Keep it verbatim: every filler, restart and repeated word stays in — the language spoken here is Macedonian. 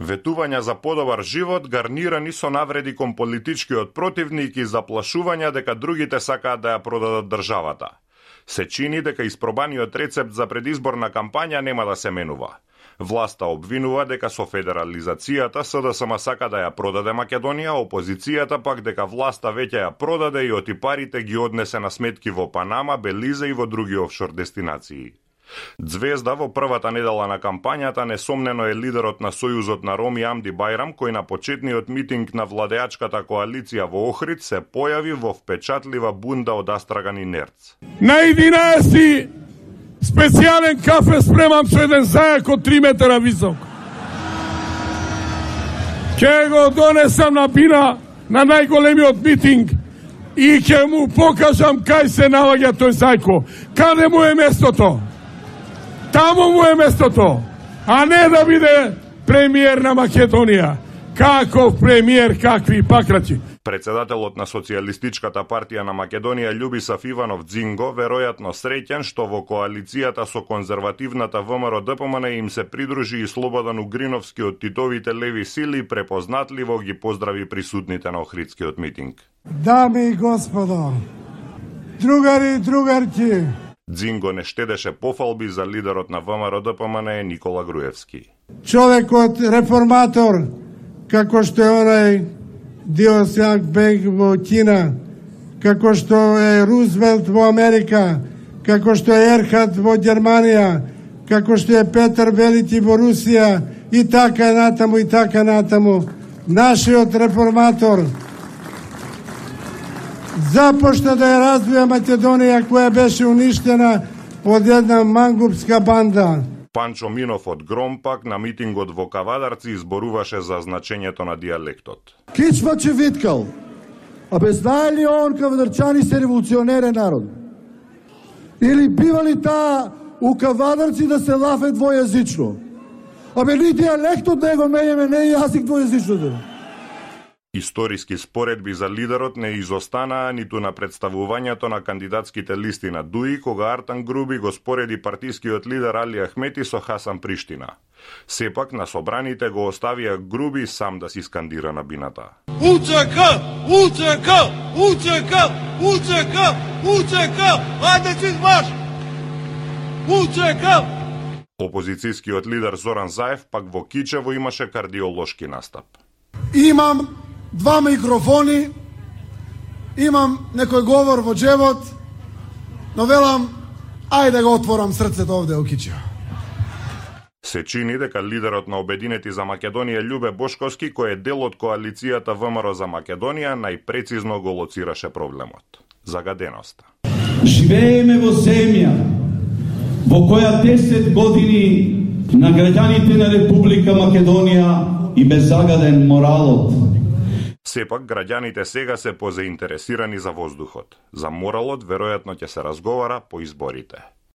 Ветувања за подобар живот гарнирани со навреди кон политичкиот противник и заплашувања дека другите сакаат да ја продадат државата. Се чини дека испробаниот рецепт за предизборна кампања нема да се менува. Власта обвинува дека со федерализацијата СДСМ сака да ја продаде Македонија, опозицијата пак дека власта веќе ја продаде и отипарите ги однесе на сметки во Панама, Белиза и во други офшор дестинации. Ѕвезда во првата недела на кампањата несомнено е лидерот на Сојузот на Роми Амди Бајрам, кој на почетниот митинг на владеачката коалиција во Охрид се појави во впечатлива бунда од Астраган и Нерц. На единаесети специјален кафе спремам со еден зајак од три метра висок. Ке го донесам на бина на најголемиот митинг и ќе му покажам кај се наоѓа тој зајко. Каде му е местото? Таму му е местото, а не да биде премиер на Македонија. Каков премиер, какви пакрачи. Председателот на Социјалистичката партија на Македонија Љубисав Иванов Дзинго веројатно среќен што во коалицијата со конзервативната ВМРО-ДПМН им се придружи и Слободан Угриновски од Титовите леви сили, препознатливо ги поздрави присутните на Охридскиот митинг. Дами и господа, другари и другарки, Дзинго не штедеше пофалби за лидерот на ВМРО-ДПМН Никола Груевски. Човекот реформатор, како што е онај Диосјак Бег во Кина, како што е Рузвелт во Америка, како што е Ерхат во Германија, како што е Петар Велики во Русија и така натаму и така натаму. Нашиот реформатор започна да ја развија Македонија која беше уништена од една мангупска банда. Панчо Минов од Громпак на митингот во Кавадарци изборуваше за значењето на диалектот. Кичма че виткал, а бе знае ли он кавадарчани се револуционерен народ? Или бива ли таа у Кавадарци да се лафе двојазично? А бе ни диалектот него менеме, не е јазик двојазично. Историски споредби за лидерот не изостанаа ниту на представувањето на кандидатските листи на ДУИ, кога Артан Груби го спореди партискиот лидер Али Ахмети со Хасан Приштина. Сепак на собраните го оставија Груби сам да си скандира на бината. УЦК! УЦК! УЦК! УЦК! УЦК! Ајде си марш! УЦК! Опозицијскиот лидер Зоран Заев пак во Кичево имаше кардиолошки настап. Имам два микрофони, имам некој говор во джебот, но велам, ајде да го отворам срцето овде во Кичево. Се чини дека лидерот на Обединети за Македонија Љубе Бошковски, кој е дел од коалицијата ВМРО за Македонија, најпрецизно го лоцираше проблемот – загаденоста. Живееме во земја во која десет години на граѓаните на Република Македонија и беззагаден моралот. Сепак, граѓаните сега се позаинтересирани за воздухот. За моралот, веројатно ќе се разговара по изборите.